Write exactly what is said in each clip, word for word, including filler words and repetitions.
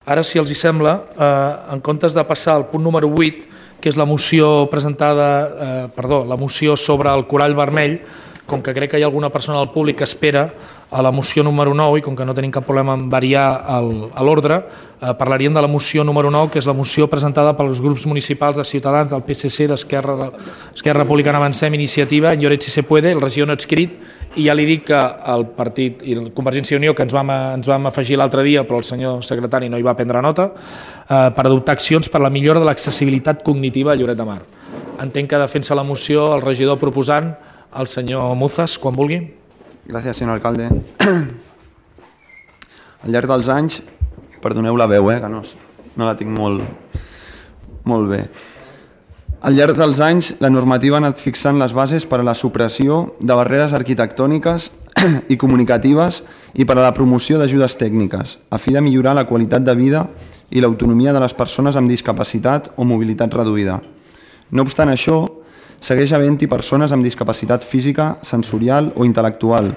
Ara, si els hi sembla, eh, en comptes de passar al punt número vuit, que és la moció presentada, eh, perdó, la moció sobre el corall vermell, com que crec que hi ha alguna persona del públic que espera a la moció número nou i com que no tenim cap problema en variar l'ordre, eh, parlaríem de la moció número nou, que és la moció presentada pels grups municipals de Ciutadans, del P S C, d'Esquerra Esquerra Republicana Avancem, Iniciativa, Lloret si se puede, el regidor no adscrit, i ja li dic que el partit i el Convergència i Unió, que ens vam, ens vam afegir l'altre dia, però el senyor secretari no hi va prendre nota, eh, per adoptar accions per la millora de l'accessibilitat cognitiva a Lloret de Mar. Entenc que defensa la moció el regidor proposant, el senyor Muzas, quan vulgui. Gràcies, senyor alcalde. Al llarg dels anys, perdoneu la veu, eh, que no, no la tinc molt, molt bé. Al llarg dels anys, la normativa ha anat fixant les bases per a la supressió de barreres arquitectòniques i comunicatives i per a la promoció d'ajudes tècniques, a fi de millorar la qualitat de vida i l'autonomia de les persones amb discapacitat o mobilitat reduïda. No obstant això, segueix havent-hi persones amb discapacitat física, sensorial o intel·lectual,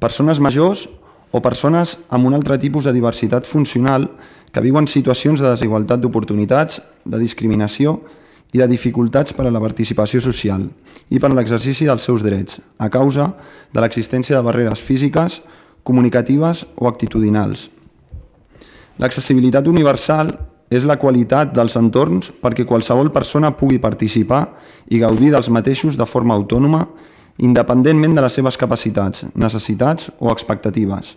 persones majors o persones amb un altre tipus de diversitat funcional que viuen situacions de desigualtat d'oportunitats, de discriminació i de dificultats per a la participació social i per a l'exercici dels seus drets, a causa de l'existència de barreres físiques, comunicatives o actitudinals. L'accessibilitat universal és la qualitat dels entorns perquè qualsevol persona pugui participar i gaudir dels mateixos de forma autònoma, independentment de les seves capacitats, necessitats o expectatives.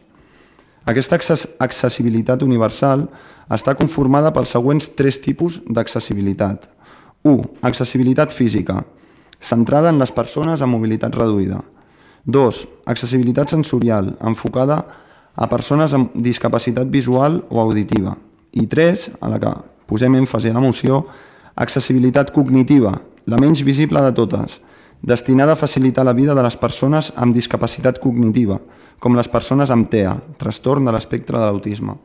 Aquesta accessibilitat universal està conformada pels següents tres tipus d'accessibilitat. u. Accessibilitat física, centrada en les persones amb mobilitat reduïda. dos. Accessibilitat sensorial, enfocada a persones amb discapacitat visual o auditiva. I tres, a la que posem èmfasi a la moció, accessibilitat cognitiva, la menys visible de totes, destinada a facilitar la vida de les persones amb discapacitat cognitiva, com les persones amb T E A, trastorn de l'espectre de l'autisme.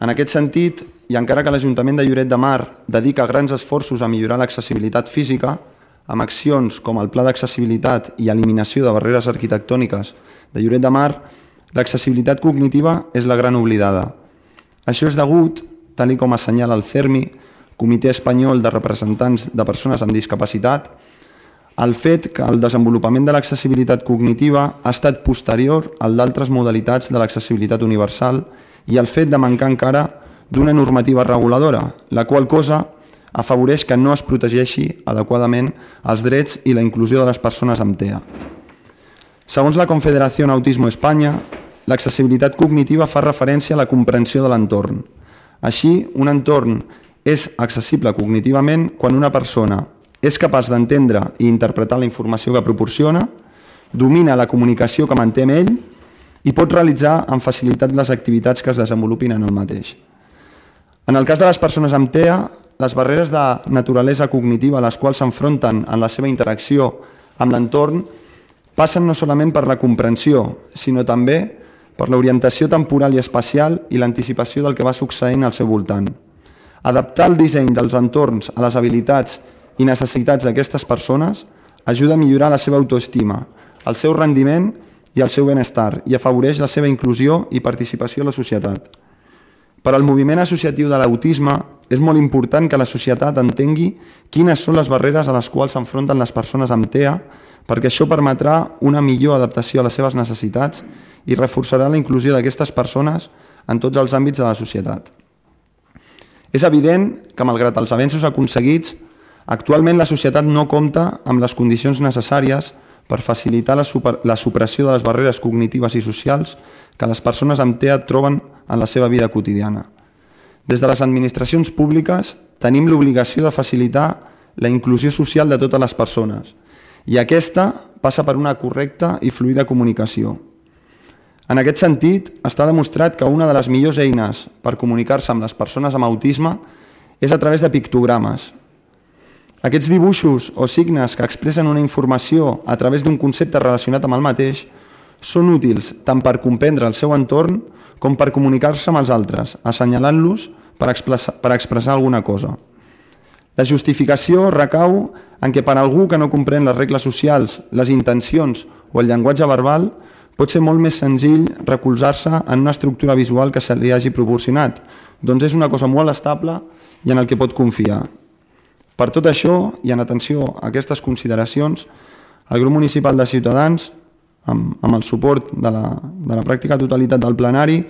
En aquest sentit, i encara que l'Ajuntament de Lloret de Mar dedica grans esforços a millorar l'accessibilitat física, amb accions com el Pla d'Accessibilitat i Eliminació de Barreres Arquitectòniques de Lloret de Mar, l'accessibilitat cognitiva és la gran oblidada. Això és degut, tal com assenyala el CERMI, Comitè Espanyol de Representants de Persones amb Discapacitat, al fet que el desenvolupament de l'accessibilitat cognitiva ha estat posterior al d'altres modalitats de l'accessibilitat universal i el fet de mancar encara d'una normativa reguladora, la qual cosa afavoreix que no es protegeixi adequadament els drets i la inclusió de les persones amb T E A. Segons la Confederació Autismo Espanya, l'accessibilitat cognitiva fa referència a la comprensió de l'entorn. Així, un entorn és accessible cognitivament quan una persona és capaç d'entendre i interpretar la informació que proporciona, domina la comunicació que manté amb ell i pot realitzar amb facilitat les activitats que es desenvolupin en el mateix. En el cas de les persones amb T E A, les barreres de naturalesa cognitiva a les quals s'enfronten en la seva interacció amb l'entorn passen no solament per la comprensió, sinó també per l'orientació temporal i espacial i l'anticipació del que va succeint al seu voltant. Adaptar el disseny dels entorns a les habilitats i necessitats d'aquestes persones ajuda a millorar la seva autoestima, el seu rendiment i el seu benestar i afavoreix la seva inclusió i participació a la societat. Per al moviment associatiu de l'autisme és molt important que la societat entengui quines són les barreres a les quals s'enfronten les persones amb T E A, perquè això permetrà una millor adaptació a les seves necessitats i reforçarà la inclusió d'aquestes persones en tots els àmbits de la societat. És evident que, malgrat els avenços aconseguits, actualment la societat no compta amb les condicions necessàries per facilitar la, super, la supressió de les barreres cognitives i socials que les persones amb T E A troben en la seva vida quotidiana. Des de les administracions públiques tenim l'obligació de facilitar la inclusió social de totes les persones i aquesta passa per una correcta i fluida comunicació. En aquest sentit, està demostrat que una de les millors eines per comunicar-se amb les persones amb autisme és a través de pictogrames. Aquests dibuixos o signes que expressen una informació a través d'un concepte relacionat amb el mateix són útils tant per comprendre el seu entorn com per comunicar-se amb els altres, assenyalant-los per expressar, per expressar alguna cosa. La justificació recau en què per algú que no comprèn les regles socials, les intencions o el llenguatge verbal, pot ser molt més senzill recolzar-se en una estructura visual que se li hagi proporcionat. Doncs és una cosa molt estable i en el que pot confiar. Per tot això, i en atenció a aquestes consideracions, el grup municipal de Ciutadans, amb, amb el suport de la, de la pràctica totalitat del plenari,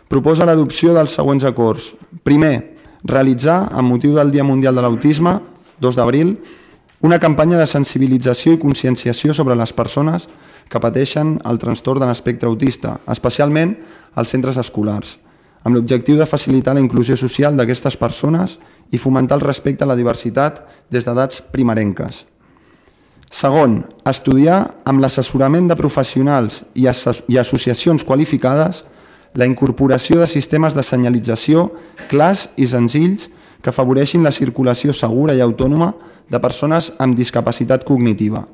proposa l'adopció dels següents acords. Primer, realitzar, amb motiu del Dia Mundial de l'Autisme, dos d'abril, una campanya de sensibilització i conscienciació sobre les persones que pateixen el trastorn de l'espectre autista, especialment als centres escolars, amb l'objectiu de facilitar la inclusió social d'aquestes persones i fomentar el respecte a la diversitat des d'edats primerenques. Segon, estudiar amb l'assessorament de professionals i, asso- i associacions qualificades la incorporació de sistemes de senyalització clars i senzills que afavoreixin la circulació segura i autònoma de persones amb discapacitat cognitiva.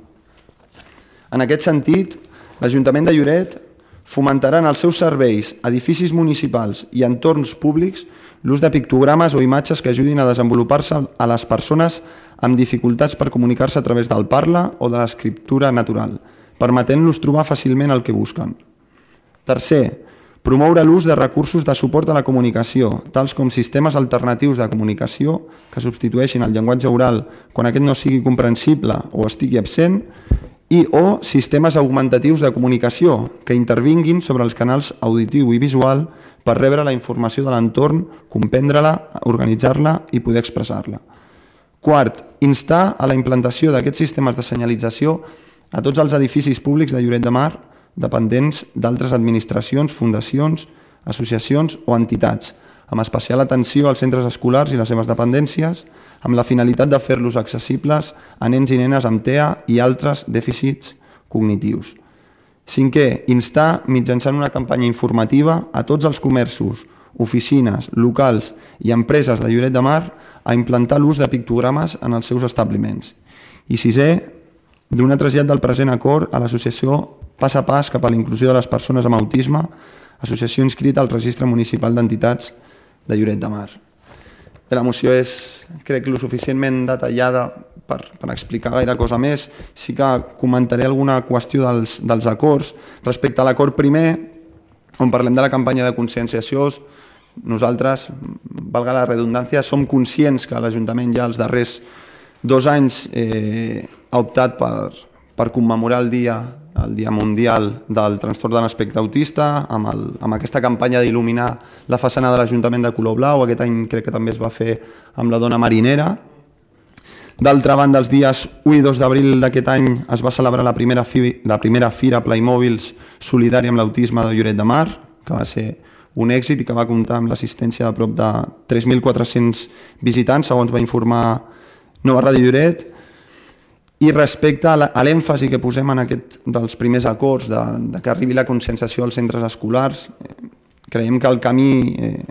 En aquest sentit, l'Ajuntament de Lloret fomentarà en els seus serveis, edificis municipals i entorns públics l'ús de pictogrames o imatges que ajudin a desenvolupar-se a les persones amb dificultats per comunicar-se a través del parla o de l'escriptura natural, permetent-los trobar fàcilment el que busquen. Tercer, promoure l'ús de recursos de suport a la comunicació, tals com sistemes alternatius de comunicació que substitueixin el llenguatge oral quan aquest no sigui comprensible o estigui absent, i o sistemes augmentatius de comunicació que intervinguin sobre els canals auditiu i visual per rebre la informació de l'entorn, comprendre-la, organitzar-la i poder expressar-la. Quart, instar a la implantació d'aquests sistemes de senyalització a tots els edificis públics de Lloret de Mar dependents d'altres administracions, fundacions, associacions o entitats, amb especial atenció als centres escolars i les seves dependències, amb la finalitat de fer-los accessibles a nens i nenes amb T E A i altres dèficits cognitius. Cinquè, instar mitjançant una campanya informativa a tots els comerços, oficines, locals i empreses de Lloret de Mar a implantar l'ús de pictogrames en els seus establiments. I sisè, donar trasllat del present acord a l'associació Pas a Pas cap a la inclusió de les persones amb autisme, associació inscrita al Registre Municipal d'Entitats de Lloret de Mar. La moció és, crec, lo suficientment detallada per, per explicar gaire cosa més. Sí que comentaré alguna qüestió dels, dels acords. Respecte a l'acord primer, on parlem de la campanya de conscienciació, nosaltres, valga la redundància, som conscients que l'Ajuntament ja els darrers dos anys eh, ha optat per, per commemorar el dia el Dia Mundial del Trastorn de l'Espectre Autista, amb, el, amb aquesta campanya d'il·luminar la façana de l'Ajuntament de color blau. Aquest any crec que també es va fer amb la dona marinera. D'altra banda, els dies u i dos d'abril d'aquest any es va celebrar la primera, fi, la primera Fira Playmòbils solidària amb l'autisme de Lloret de Mar, que va ser un èxit i que va comptar amb l'assistència de prop de tres mil quatre-cents visitants, segons va informar Nova Ràdio Lloret. I respecte a l'èmfasi que posem en aquest dels primers acords, de, de que arribi la conscienciació als centres escolars, eh, creiem que el camí, eh,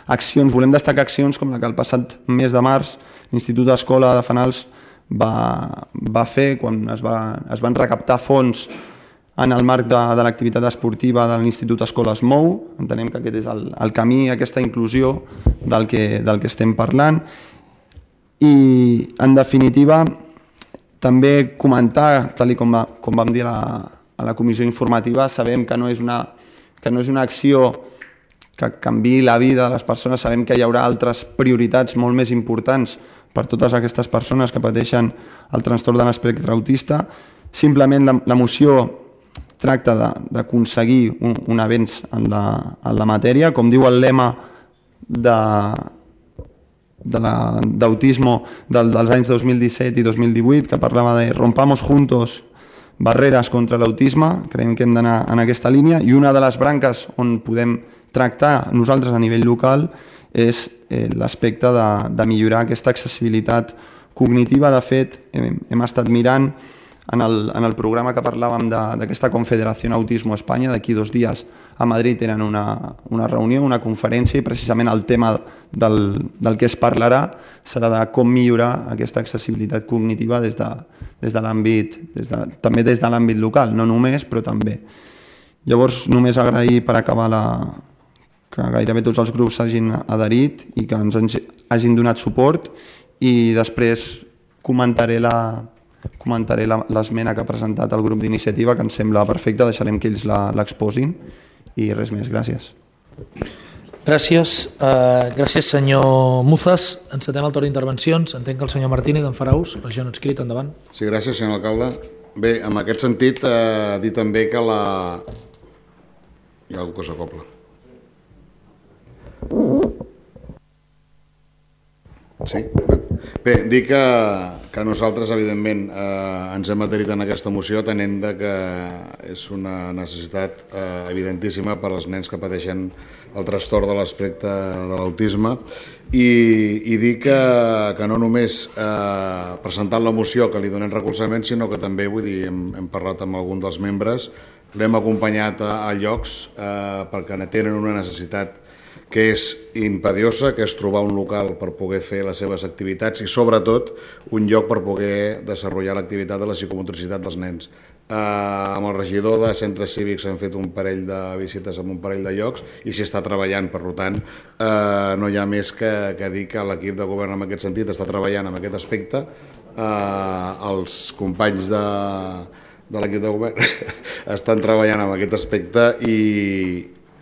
accions, volem destacar accions com la que el passat mes de març l'Institut d'Escola de Fanals va, va fer quan es, va, es van recaptar fons en el marc de, de l'activitat esportiva de l'Institut Escola es mou. Entenem que aquest és el, el camí, aquesta inclusió del que, del que estem parlant. I, en definitiva, també comentar, tal com, va, com vam dir a la, a la comissió informativa, sabem que no és una, que no és una acció que canviï la vida de les persones, sabem que hi haurà altres prioritats molt més importants per totes aquestes persones que pateixen el trastorn de l'espectre autista. Simplement la, la moció tracta d'aconseguir un, un avenç en la, en la matèria, com diu el lema de... d'autisme de dels anys dos mil disset i dos mil divuit, que parlava de rompamos juntos barreres contra l'autisme. Creiem que hem d'anar en aquesta línia, i una de les branques on podem tractar nosaltres a nivell local és eh, l'aspecte de, de millorar aquesta accessibilitat cognitiva. De fet, hem, hem estat mirant en el, en el programa que parlàvem d'aquesta Confederació Autismo Espanya, d'aquí dos dies a Madrid tenen una, una reunió, una conferència, i precisament el tema del, del que es parlarà serà de com millorar aquesta accessibilitat cognitiva des de, des de l'àmbit, des de, també des de l'àmbit local, no només, però també. Llavors, només agrair per acabar la, que gairebé tots els grups s'hagin adherit i que ens hagin donat suport, i després comentaré la, comentaré l'esmena que ha presentat el grup d'iniciativa, que ens sembla perfecta, deixarem que ells l'exposin i res més, gràcies. Gràcies, uh, gràcies senyor Muzas. Encetem el torn d'intervencions. Entenc que el senyor Martínez en farà ús, regió no adscrit, endavant. Sí, gràcies, senyor alcalde. Bé, en aquest sentit, eh, dir també que la... Hi ha alguna cosa a cobla. Sí? Bé, dir que, que nosaltres, evidentment, eh, ens hem adherit en aquesta moció tenint que és una necessitat eh, evidentíssima per als nens que pateixen el trastorn de l'aspecte de l'autisme i, i dir que, que no només eh, presentant la moció que li donem recolzament, sinó que també, vull dir, hem, hem parlat amb algun dels membres, l'hem acompanyat a, a llocs eh, perquè tenen una necessitat que és impediosa, que és trobar un local per poder fer les seves activitats i, sobretot, un lloc per poder desenvolupar l'activitat de la psicomotricitat dels nens. Eh, amb el regidor de centres cívics hem fet un parell de visites en un parell de llocs i s'hi està treballant, per tant, eh, no hi ha més que, que dir que l'equip de govern en aquest sentit està treballant en aquest aspecte. Eh, els companys de, de l'equip de govern estan treballant en aquest aspecte i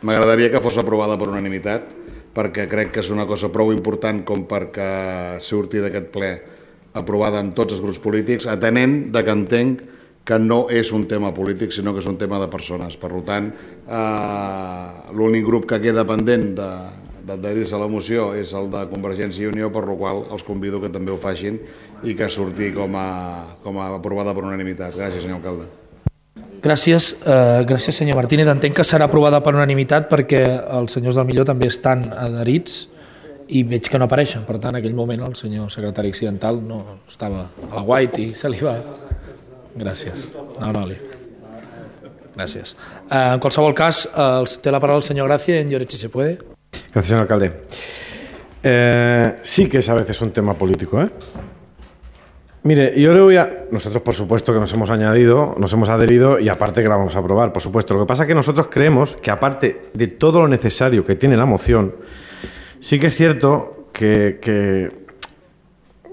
m'agradaria que fos aprovada per unanimitat, perquè crec que és una cosa prou important com perquè surti d'aquest ple aprovada amb tots els grups polítics, atenent de que entenc que no és un tema polític, sinó que és un tema de persones. Per tant, eh, l'únic grup que queda pendent d'adherir-se a la moció és el de Convergència i Unió, per la qual els convido que també ho facin i que surti com a, com a aprovada per unanimitat. Gràcies, senyor alcalde. Gràcies, eh, gràcies senyor Martínez. Entenc que serà aprovada per unanimitat perquè els senyors del Millor també estan adherits i veig que no apareixen. Per tant, en aquell moment el senyor secretari accidental no estava a la guait i se li va... Gràcies. No, no, li... Gràcies. Eh, en qualsevol cas, eh, té la paraula el senyor Gracia en Lloret, si se puede. Gracias, señor alcalde. Eh, sí que es a veces un tema político, ¿eh? Mire, yo le voy a... Nosotros, por supuesto, que nos hemos añadido, nos hemos adherido y aparte que la vamos a aprobar, por supuesto. Lo que pasa es que nosotros creemos que aparte de todo lo necesario que tiene la moción, sí que es cierto que, que,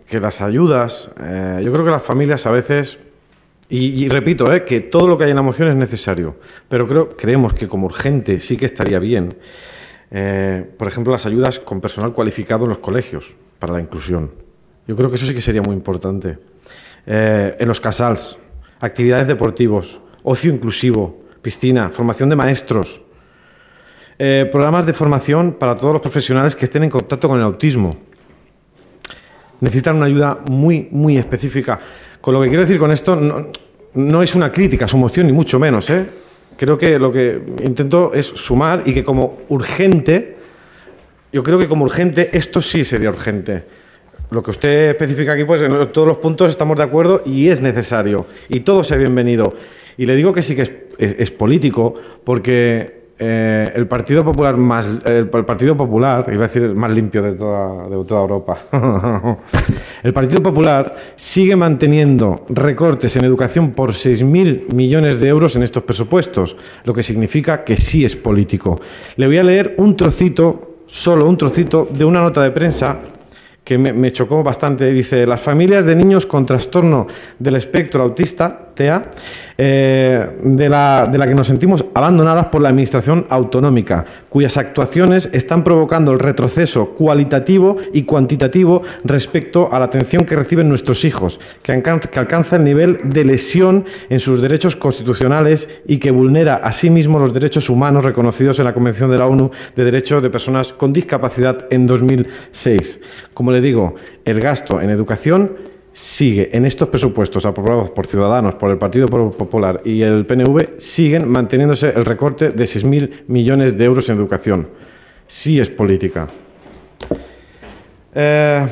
que las ayudas, eh, yo creo que las familias a veces, y, y repito, eh, que todo lo que hay en la moción es necesario, pero creo, creemos que como urgente sí que estaría bien, eh, por ejemplo, las ayudas con personal cualificado en los colegios para la inclusión. Yo creo que eso sí que sería muy importante. Eh, en los casals, actividades deportivos, ocio inclusivo, piscina, formación de maestros, eh, programas de formación para todos los profesionales que estén en contacto con el autismo. Necesitan una ayuda muy, muy específica. Con lo que quiero decir con esto, no, no es una crítica a su moción, ni mucho menos, ¿eh? Creo que lo que intento es sumar y que como urgente, yo creo que como urgente, esto sí sería urgente. Lo que usted especifica aquí, pues en todos los puntos estamos de acuerdo y es necesario. Y todo sea bienvenido. Y le digo que sí que es, es, es político porque eh, el Partido Popular más el, el Partido Popular, iba a decir el más limpio de toda, de toda Europa, el Partido Popular sigue manteniendo recortes en educación por seis mil millones de euros en estos presupuestos, lo que significa que sí es político. Le voy a leer un trocito, solo un trocito, de una nota de prensa que me, me chocó bastante. Dice: las familias de niños con trastorno del espectro autista, T E A, eh, de, la, de la que nos sentimos abandonadas por la Administración autonómica, cuyas actuaciones están provocando el retroceso cualitativo y cuantitativo respecto a la atención que reciben nuestros hijos, que, alcanza, que alcanza el nivel de lesión en sus derechos constitucionales y que vulnera asimismo los derechos humanos reconocidos en la Convención de la ONU de Derechos de Personas con Discapacidad en dos mil seis. Como le digo, el gasto en educación sigue en estos presupuestos aprobados por Ciudadanos, por el Partido Popular y el P N V, siguen manteniéndose el recorte de seis mil millones de euros en educación. Sí es política. Eh,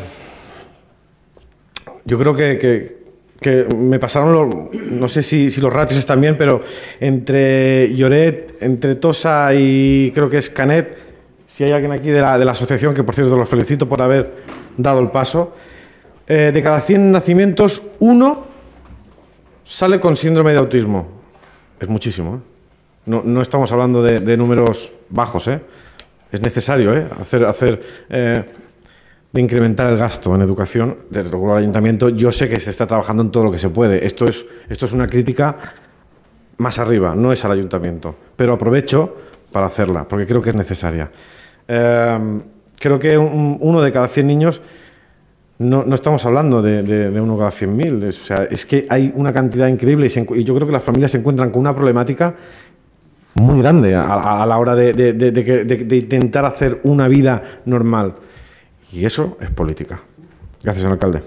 yo creo que, que, que me pasaron, los, no sé si, si los ratios están bien, pero entre Lloret, entre Tossa y creo que es Canet, si hay alguien aquí de la, de la asociación, que por cierto los felicito por haber dado el paso, eh, de cada cien nacimientos, uno sale con síndrome de autismo. Es muchísimo, ¿eh? No, no estamos hablando de, de números bajos, ¿eh? Es necesario, ¿eh? hacer, hacer eh, de incrementar el gasto en educación, desde luego el ayuntamiento, yo sé que se está trabajando en todo lo que se puede. Esto es, esto es una crítica más arriba, no es al ayuntamiento, pero aprovecho para hacerla, porque creo que es necesaria. Eh, creo que un, uno de cada cien niños, no, no estamos hablando de, de, de uno cada cien mil, es, o sea, es que hay una cantidad increíble y, se, y yo creo que las familias se encuentran con una problemática muy grande a, a, a la hora de, de, de, de, de, de intentar hacer una vida normal. Y eso és política. Gràcies, senyor alcalde.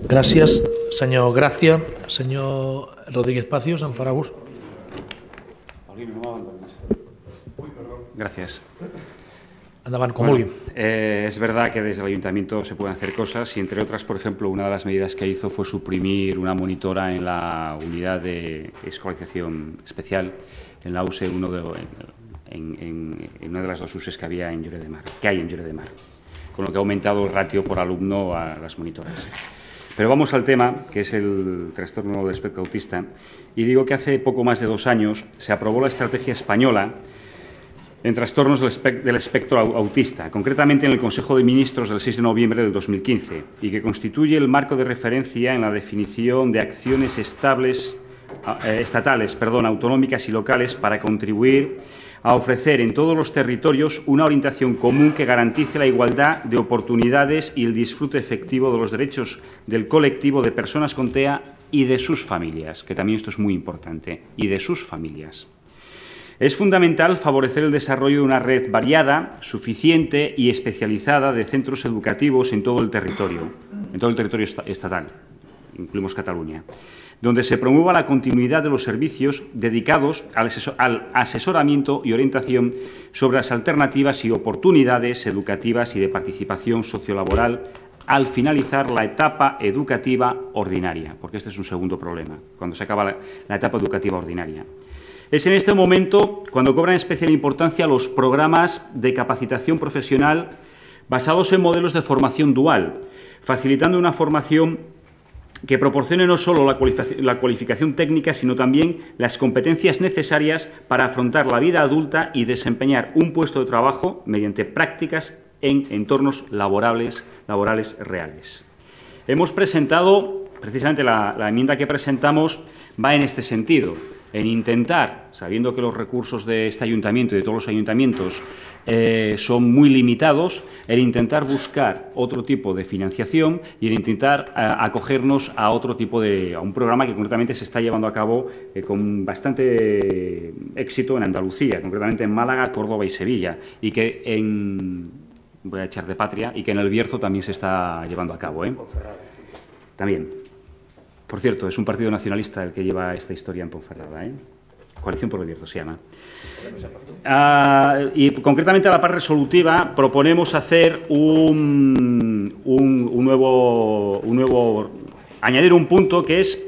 Gràcies, senyor Gràcia. Senyor Rodríguez Pacios, en farà ús. Gracias. Endavant, com bueno, vulgui. Eh, es verdad que desde el ayuntamiento se pueden hacer cosas y, entre otras, por ejemplo, una de las medidas que hizo fue suprimir una monitora en la unidad de escolarización especial en la U S E uno de, en, en, en una de las dos U S Es que había en Lloret de Mar, que hay en Lloret de Mar, con lo que ha aumentado el ratio por alumno a las monitoras. Pero vamos al tema, que es el trastorno del espectro autista, y digo que hace poco más de dos años se aprobó la estrategia española en trastornos del, espe del espectro autista, concretamente en el Consejo de Ministros del seis de noviembre del dos mil quince, y que constituye el marco de referencia en la definición de acciones estables, eh, estatales, perdón, autonómicas y locales para contribuir a ofrecer en todos los territorios una orientación común que garantice la igualdad de oportunidades y el disfrute efectivo de los derechos del colectivo de personas con T E A y de sus familias, que también esto es muy importante, y de sus familias. Es fundamental favorecer el desarrollo de una red variada, suficiente y especializada de centros educativos en todo el territorio, en todo el territorio estatal, incluimos Cataluña, donde se promueva la continuidad de los servicios dedicados al, asesor al asesoramiento y orientación sobre las alternativas y oportunidades educativas y de participación sociolaboral al finalizar la etapa educativa ordinaria, porque este es un segundo problema, cuando se acaba la, la etapa educativa ordinaria. Es en este momento cuando cobran especial importancia los programas de capacitación profesional basados en modelos de formación dual, facilitando una formación que proporcione no solo la cualificación, la cualificación técnica, sino también las competencias necesarias para afrontar la vida adulta y desempeñar un puesto de trabajo mediante prácticas en entornos laborales, laborales reales. Hemos presentado, precisamente la, la enmienda que presentamos va en este sentido, en intentar, sabiendo que los recursos de este ayuntamiento y de todos los ayuntamientos eh, son muy limitados, en intentar buscar otro tipo de financiación y en intentar eh, acogernos a otro tipo de, a un programa que concretamente se está llevando a cabo eh, con bastante éxito en Andalucía, concretamente en Málaga, Córdoba y Sevilla, y que en, voy a echar de patria, y que en el Bierzo también se está llevando a cabo, ¿eh? También. Por cierto, es un partido nacionalista el que lleva esta historia en Ponferrada, ¿eh? Coalición por el Bierzo se llama. Uh, y concretamente a la parte resolutiva proponemos hacer un, un, un, nuevo, un nuevo... añadir un punto que es,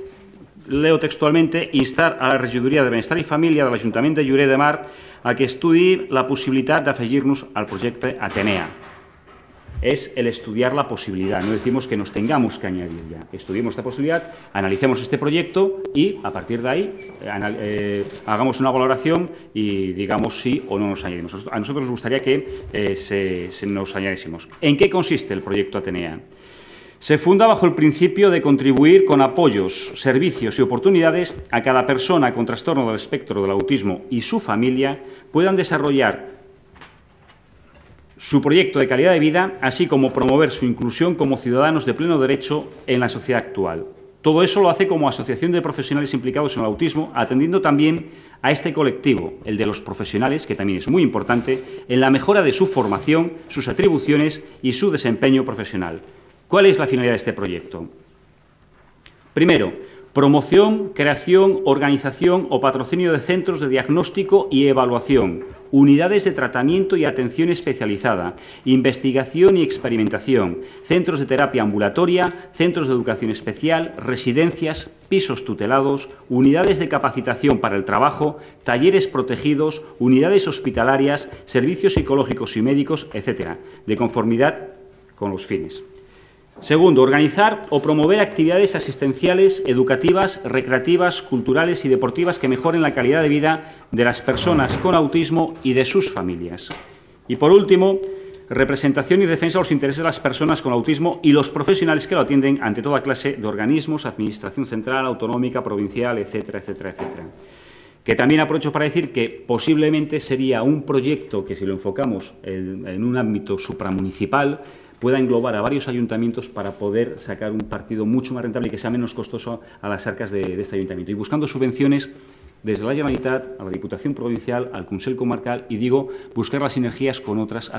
leo textualmente, instar a la Regidoria de Benestar i Família de l'Ajuntament de Lloret de Mar a que estudiï la possibilitat d'afegir-nos al projecte Atenea. Es el estudiar la posibilidad, no decimos que nos tengamos que añadir ya. Estudiemos esta posibilidad, analicemos este proyecto y, a partir de ahí, eh, hagamos una valoración y digamos sí o no nos añadimos. A nosotros nos gustaría que eh, se, se nos añadiésemos. ¿En qué consiste el proyecto Atenea? Se funda bajo el principio de contribuir con apoyos, servicios y oportunidades a cada persona con trastorno del espectro del autismo y su familia puedan desarrollar su proyecto de calidad de vida, así como promover su inclusión como ciudadanos de pleno derecho en la sociedad actual. Todo eso lo hace como asociación de profesionales implicados en el autismo, atendiendo también a este colectivo, el de los profesionales, que también es muy importante, en la mejora de su formación, sus atribuciones y su desempeño profesional. ¿Cuál es la finalidad de este proyecto? Primero, promoción, creación, organización o patrocinio de centros de diagnóstico y evaluación, unidades de tratamiento y atención especializada, investigación y experimentación, centros de terapia ambulatoria, centros de educación especial, residencias, pisos tutelados, unidades de capacitación para el trabajo, talleres protegidos, unidades hospitalarias, servicios psicológicos y médicos, etcétera, de conformidad con los fines. Segundo, organizar o promover actividades asistenciales, educativas, recreativas, culturales y deportivas que mejoren la calidad de vida de las personas con autismo y de sus familias. Y, por último, representación y defensa de los intereses de las personas con autismo y los profesionales que lo atienden ante toda clase de organismos, administración central, autonómica, provincial, etcétera, etcétera, etcétera. Que también aprovecho para decir que posiblemente sería un proyecto que, si lo enfocamos en, en un ámbito supramunicipal, pueda englobar a varios ayuntamientos para poder sacar un partido mucho más rentable y que sea menos costoso a las arcas de, de este ayuntamiento. Y buscando subvenciones desde la Generalitat a la Diputación Provincial, al Consell Comarcal, y digo, buscar las sinergias con, otras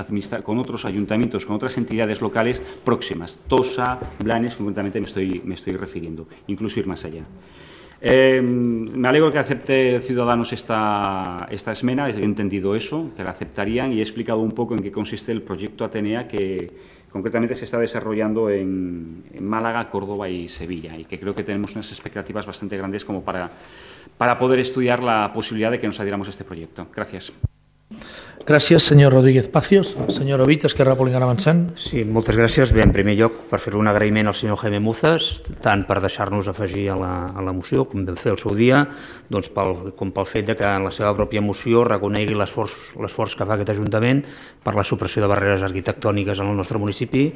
con otros ayuntamientos, con otras entidades locales próximas. Tosa, Blanes, concretamente me estoy, me estoy refiriendo, incluso ir más allá. Eh, me alegro que acepte Ciudadanos esta, esta esmena, he entendido eso, que la aceptarían, y he explicado un poco en qué consiste el proyecto Atenea que concretamente se está desarrollando en, en Málaga, Córdoba y Sevilla, y que creo que tenemos unas expectativas bastante grandes como para, para poder estudiar la posibilidad de que nos adhiramos a este proyecto. Gracias. Gràcies, senyor Rodríguez Pacios. Senyor Ovich, Esquerra Republicana Avançant. Sí, moltes gràcies. Bé, en primer lloc, per fer un agraïment al senyor Jaime Muzas, tant per deixar-nos afegir a la, a la moció, com vam fer el seu dia, doncs pel, com pel fet de que en la seva pròpia moció reconegui l'esforç que fa aquest Ajuntament per la supressió de barreres arquitectòniques en el nostre municipi,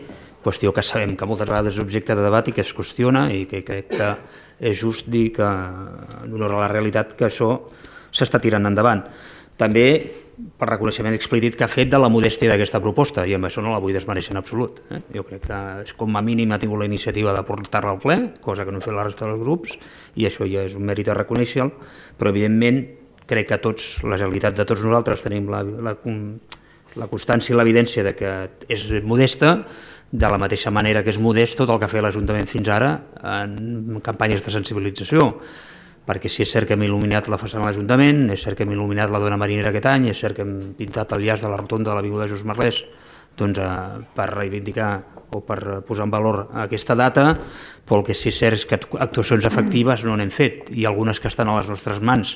qüestió que sabem que moltes vegades és objecte de debat i que es qüestiona, i que crec que és just dir que, en honor a la realitat, que això s'està tirant endavant. També per reconeixement explícit que ha fet de la modèstia d'aquesta proposta, i amb això no la vull desmereixer en absolut. Eh? Jo crec que com a mínim ha tingut la iniciativa de portar-la al ple, cosa que no han fet la resta dels grups, i això ja és un mèrit a reconèixer, però evidentment crec que tots, la realitat de tots nosaltres tenim la, la, la constància i l'evidència de que és modesta, de la mateixa manera que és modest tot el que ha fet l'Ajuntament fins ara en campanyes de sensibilització, perquè si és cert que hem il·luminat la façana de l'Ajuntament, és cert que hem il·luminat la dona marinera aquest any, és cert que hem pintat el llaç de la rotonda de l'avinguda Just Merlès, doncs, eh, per reivindicar o per posar en valor aquesta data, però el que sí és cert és que actuacions efectives no n'hem fet, i algunes que estan a les nostres mans,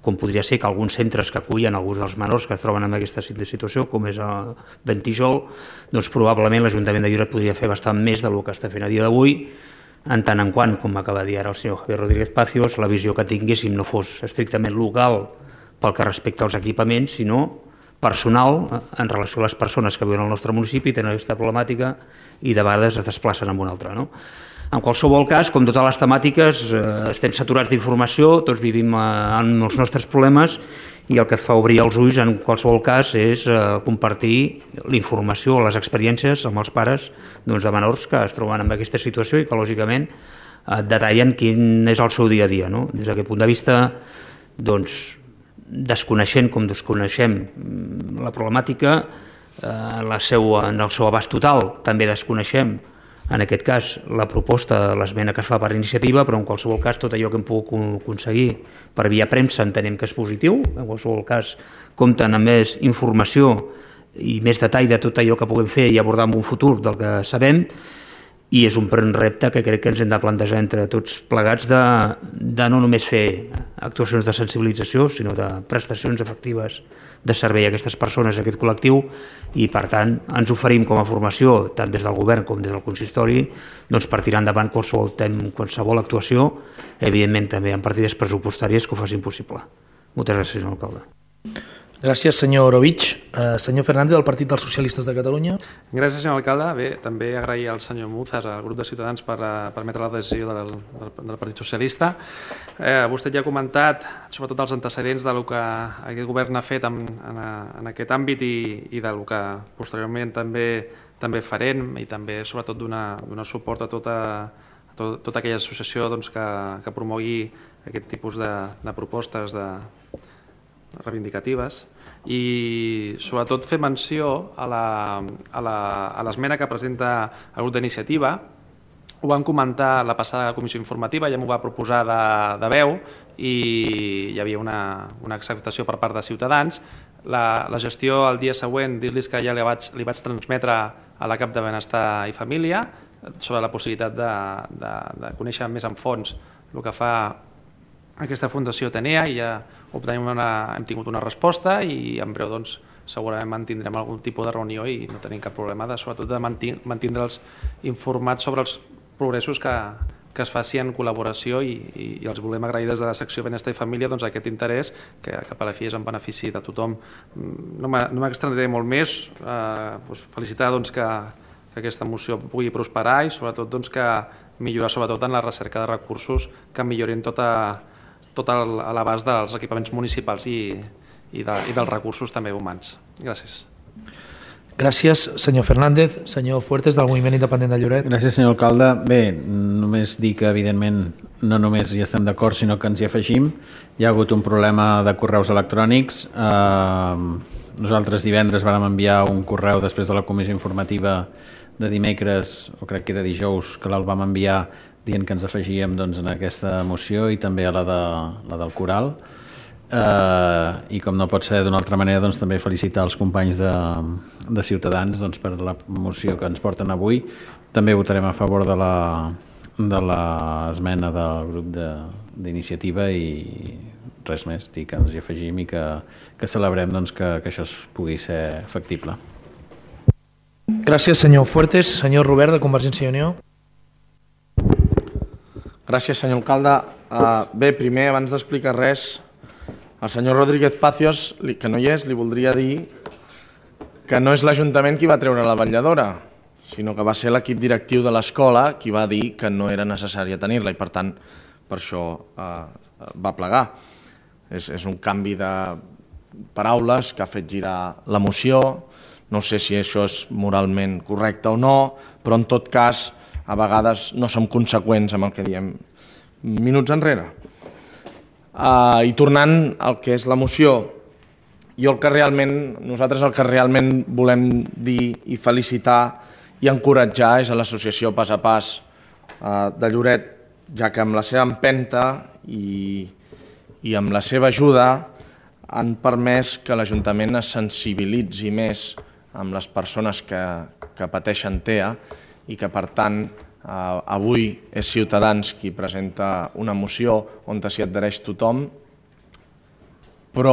com podria ser que alguns centres que acullen alguns dels menors que es troben en aquesta situació, com és el Ventijol, doncs probablement l'Ajuntament de Lloret podria fer bastant més del que està fent a dia d'avui, en tant en quant, com acaba de dir ara el senyor Javier Rodríguez Pacios, la visió que tinguéssim no fos estrictament local pel que respecta als equipaments, sinó personal en relació a les persones que viuen al nostre municipi, tenen aquesta problemàtica i de vegades es desplacen en una altra. No? En qualsevol cas, com totes les temàtiques, eh, estem saturats d'informació, tots vivim eh, amb els nostres problemes, i el que et fa obrir els ulls en qualsevol cas és eh, compartir l'informació, les experiències amb els pares doncs, de menors que es troben en aquesta situació i que lògicament eh, detallen quin és el seu dia a dia. No? Des d'aquest punt de vista, doncs, desconeixent com desconeixem la problemàtica, eh, la seua, en el seu abast total, també desconeixem en aquest cas la proposta, l'esmena que es fa per iniciativa, però en qualsevol cas tot allò que hem pogut aconseguir per via premsa entenem que és positiu, en qualsevol cas compten amb més informació i més detall de tot allò que puguem fer i abordar en un futur del que sabem, i és un repte que crec que ens hem de plantejar entre tots plegats de, de no només fer actuacions de sensibilització, sinó de prestacions efectives de servei a aquestes persones, a aquest col·lectiu, i per tant ens oferim com a formació, tant des del govern com des del consistori, doncs per tirar endavant qualsevol, qualsevol actuació, evidentment també en partides pressupostàries que ho facin possible. Moltes gràcies, senyor alcalde. Gràcies, senyor Ovich. Uh, senyor Fernández, del Partit dels Socialistes de Catalunya. Gràcies, senyor alcalde. Bé, també agrair al senyor Muzas, al grup de Ciutadans, per uh, permetre la decisió del, del, del Partit Socialista. Eh, vostè ja ha comentat, sobretot els antecedents del que aquest govern ha fet en, en, en aquest àmbit i, i del que posteriorment també també farem, i també sobretot donar, donar suport a tota, a tot, tota aquella associació doncs, que, que promogui aquest tipus de, de propostes de reivindicatives, i sobretot fer menció a l'esmena que presenta el grup d'iniciativa. Ho vam comentar a la passada comissió informativa, ja m'ho va proposar de, de veu i hi havia una, una acceptació per part de Ciutadans. La, la gestió el dia següent, dir-los que ja li vaig, li vaig transmetre a la cap de Benestar i Família sobre la possibilitat de, de, de conèixer més en fons el que fa aquesta Fundació Atenea, i ja obtenim una, hem tingut una resposta i en breu doncs, segurament mantindrem algun tipus de reunió i no tenim cap problema de, sobretot de mantindre'ls informats sobre els progressos que, que es faci en col·laboració i, i, i els volem agrair des de la secció Benestar i Família doncs, aquest interès que cap a la fi és en benefici de tothom. No m'extendré molt més, eh, doncs felicitar doncs, que, que aquesta moció pugui prosperar i sobretot doncs, que millorar sobretot en la recerca de recursos que millorin tot, a, tot a l'abast dels equipaments municipals i, i, de, i dels recursos també humans. Gràcies. Gràcies, senyor Fernández. Senyor Fuertes, del Moviment Independent de Lloret. Gràcies, senyor alcalde. Bé, només dir que, evidentment, no només hi estem d'acord, sinó que ens hi afegim. Hi ha hagut un problema de correus electrònics. Eh, nosaltres divendres vàrem enviar un correu després de la comissió informativa de dimecres, o crec que era dijous, que el vam enviar dient que ens afegíem doncs, en aquesta moció i també a la, de, la del Coral. Uh, i com no pot ser d'una altra manera doncs, també felicitar els companys de, de Ciutadans doncs, per la moció que ens porten avui. També votarem a favor de la de l'esmena del grup d'iniciativa i res més, dir que ens hi afegim i que, que celebrem doncs, que, que això pugui ser factible. Gràcies, senyor Fuertes. Senyor Robert, de Convergència i Unió. Gràcies, senyor alcalde. Uh, bé, primer, abans d'explicar res, al senyor Rodríguez Pacios, que no hi és, li voldria dir que no és l'Ajuntament qui va treure la vetlladora, sinó que va ser l'equip directiu de l'escola qui va dir que no era necessària tenir-la i, per tant, per això eh, va plegar. És, és un canvi de paraules que ha fet girar la moció. No sé si això és moralment correcte o no, però en tot cas, a vegades no som conseqüents amb el que diem minuts enrere. Uh, I tornant al que és la moció, jo el que realment, nosaltres el que realment volem dir i felicitar i encoratjar és a l'associació Pas a Pas uh, de Lloret, ja que amb la seva empenta i, i amb la seva ajuda han permès que l'Ajuntament es sensibilitzi més amb les persones que, que pateixen T E A i que, per tant, Uh, avui és Ciutadans qui presenta una moció on s'hi adhereix tothom, però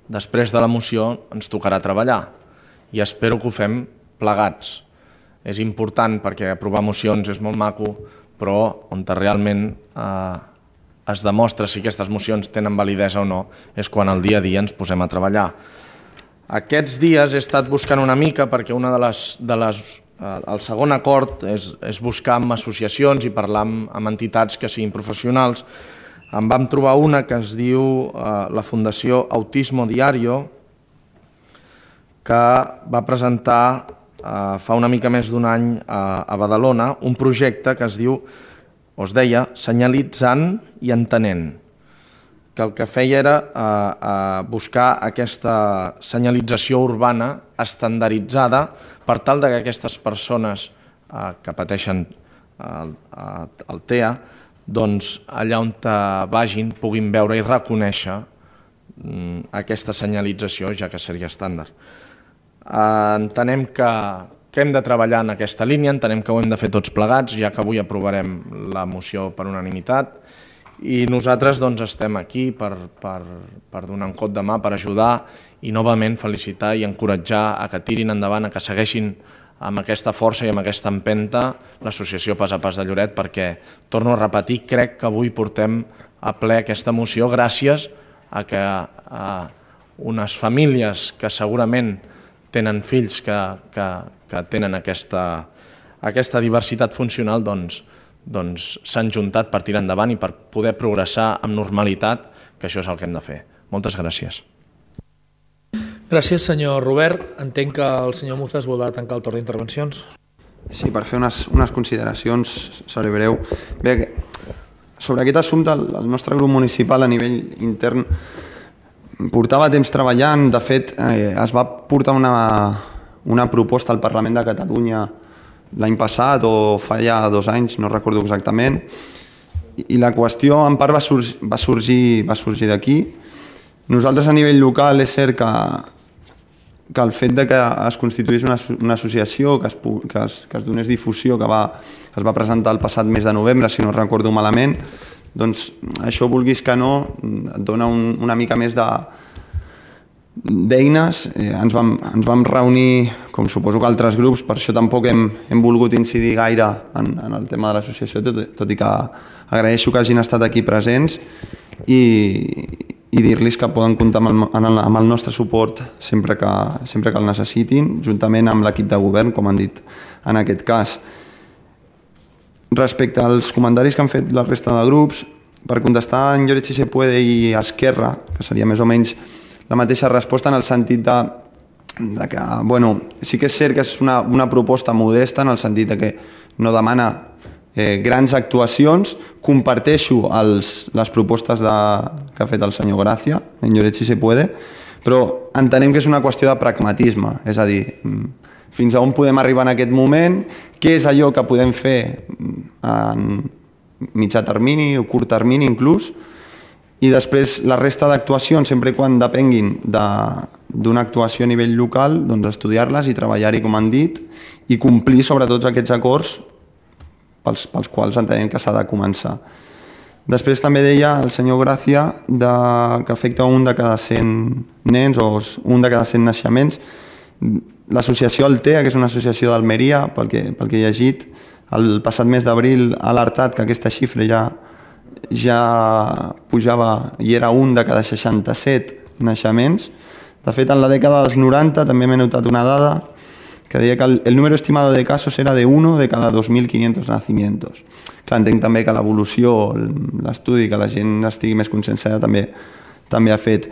després de la moció ens tocarà treballar i espero que ho fem plegats. És important perquè aprovar mocions és molt maco, però on realment uh, es demostra si aquestes mocions tenen validesa o no és quan al dia a dia ens posem a treballar. Aquests dies he estat buscant una mica perquè una de les, de les el segon acord és, és buscar amb associacions i parlar amb, amb entitats que siguin professionals. En vam trobar una que es diu eh, la Fundació Autismo Diario, que va presentar eh, fa una mica més d'un any a, a Badalona un projecte que es diu, o es deia, Senyalitzant i Entenent, que el que feia era eh, eh, buscar aquesta senyalització urbana estandarditzada per tal que aquestes persones eh, que pateixen el, el T E A, doncs allà on vagin puguin veure i reconèixer mm, aquesta senyalització, ja que seria estàndard. Eh, entenem que, que hem de treballar en aquesta línia, entenem que ho hem de fer tots plegats, ja que avui aprovarem la moció per unanimitat, i nosaltres doncs, estem aquí per, per, per donar un cop de mà, per ajudar i novament felicitar i encoratjar a que tirin endavant, a que segueixin amb aquesta força i amb aquesta empenta l'associació Pas a Pas de Lloret, perquè, torno a repetir, crec que avui portem a ple aquesta moció gràcies a que a unes famílies que segurament tenen fills que, que, que tenen aquesta, aquesta diversitat funcional, doncs, doncs s'han juntat per tirar endavant i per poder progressar amb normalitat, que això és el que hem de fer. Moltes gràcies. Gràcies, senyor Robert. Entenc que el senyor Muzas voldrà tancar el torn d'intervencions. Sí, per fer unes, unes consideracions, seré breu. Bé, sobre aquest assumpte, el, el nostre grup municipal a nivell intern portava temps treballant. De fet, eh, es va portar una, una proposta al Parlament de Catalunya l'any passat o fa ja dos anys, no recordo exactament, i la qüestió en part va sorgir, va sorgir, va sorgir d'aquí. Nosaltres a nivell local és cert que, que el fet de que es constituís una, una associació, que es, que, es, que es donés difusió, que va, es va presentar el passat mes de novembre, si no recordo malament, doncs això, vulguis que no, et dona un, una mica més de, d'eines. Eh, ens, vam, ens vam reunir, com suposo que altres grups, per això tampoc hem, hem volgut incidir gaire en, en el tema de l'associació, tot, tot i que agraeixo que hagin estat aquí presents i, i dir-los que poden comptar amb el, amb el nostre suport sempre que, sempre que el necessitin, juntament amb l'equip de govern, com han dit en aquest cas. Respecte als comentaris que han fet la resta de grups, per contestar en Lloret si se puede i Esquerra, que seria més o menys la mateixa resposta en el sentit de, de que, bueno, sí que és cert que és una, una proposta modesta en el sentit de que no demana eh, grans actuacions. Comparteixo els, les propostes de, que ha fet el senyor Gràcia, en Lloret si se puede, però entenem que és una qüestió de pragmatisme, és a dir, fins a on podem arribar en aquest moment, què és allò que podem fer en mitjà termini o curt termini inclús, i després la resta d'actuacions, sempre quan depenguin d'una actuació a nivell local, doncs estudiar-les i treballar-hi com han dit i complir sobre tots aquests acords pels, pels quals entenem que s'ha de començar. Després també deia el senyor Gràcia de, que afecta un de cada cent nens o un de cada cent naixements. L'associació Altea, que és una associació d'Almeria, pel que, pel que he llegit, el passat mes d'abril ha alertat que aquesta xifra ja ja pujava i era un de cada seixanta-set naixements. De fet, en la dècada dels noranta també m'he notat una dada que deia que el, el número estimado de casos era de uno de cada dos mil quinientos nacimientos. Clar, entenc també que l'evolució, l'estudi, que la gent estigui més conscienciada també, també ha fet.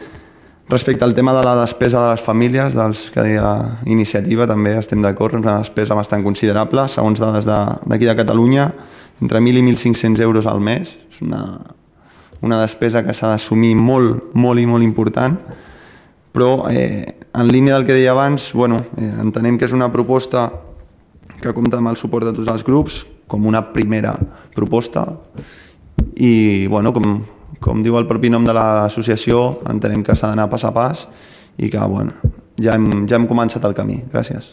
Respecte al tema de la despesa de les famílies, dels que deia iniciativa, també estem d'acord, és una despesa bastant considerable, segons dades d'aquí de, de Catalunya, entre mil i mil cinc-cents euros al mes. És una, una despesa que s'ha d'assumir molt, molt i molt important, però eh, en línia del que deia abans, bueno, eh, entenem que és una proposta que compta amb el suport de tots els grups, com una primera proposta, i bueno, com, com diu el propi nom de l'associació, entenem que s'ha d'anar pas a pas i que bueno, ja, hem, ja hem començat el camí. Gràcies.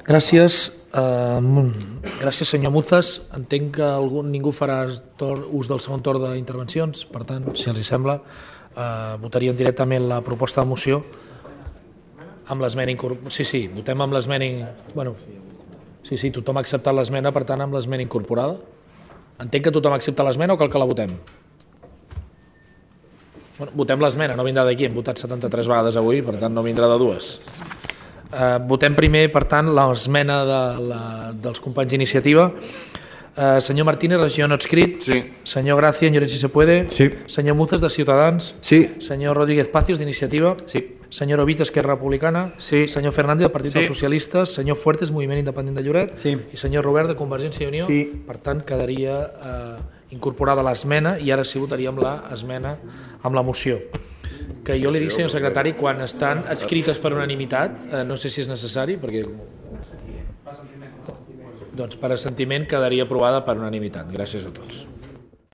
Gràcies. Uh, gràcies, senyor Muzas. Entenc que algú, ningú farà tor, ús del segon torn d'intervencions, per tant, si els sembla, uh, votaríem directament la proposta de moció amb l'esmena incorporada. Sí, sí, votem amb l'esmena... Bueno, sí, sí, tothom ha acceptat l'esmena, per tant, amb l'esmena incorporada. Entenc que tothom accepta l'esmena o cal que la votem? Bueno, votem l'esmena, no vindrà d'aquí, hem votat setanta-tres vegades avui, per tant no vindrà de dues. Uh, votem primer, per tant, l'esmena de, la, dels companys d'iniciativa. Uh, senyor Martínez, regió no adscrit. Sí. Senyor Gràcia, en Lloret si se puede. Sí. Senyor Muzas, de Ciutadans. Sí. Senyor Rodríguez Pacios, d'iniciativa. Sí. Senyor Ovit, Esquerra Republicana. Sí. Senyor Fernández, del Partit Sí. dels Socialistes. Senyor Fuertes, Moviment Independent de Lloret. Sí. I senyor Robert, de Convergència i Unió. Sí. Per tant, quedaria eh, incorporada l'esmena i ara sí votaríem l'esmena amb la moció. Que jo li dic, senyor secretari, quan estan adscrites per unanimitat, eh, no sé si és necessari, perquè... Doncs per assentiment quedaria aprovada per unanimitat. Gràcies a tots.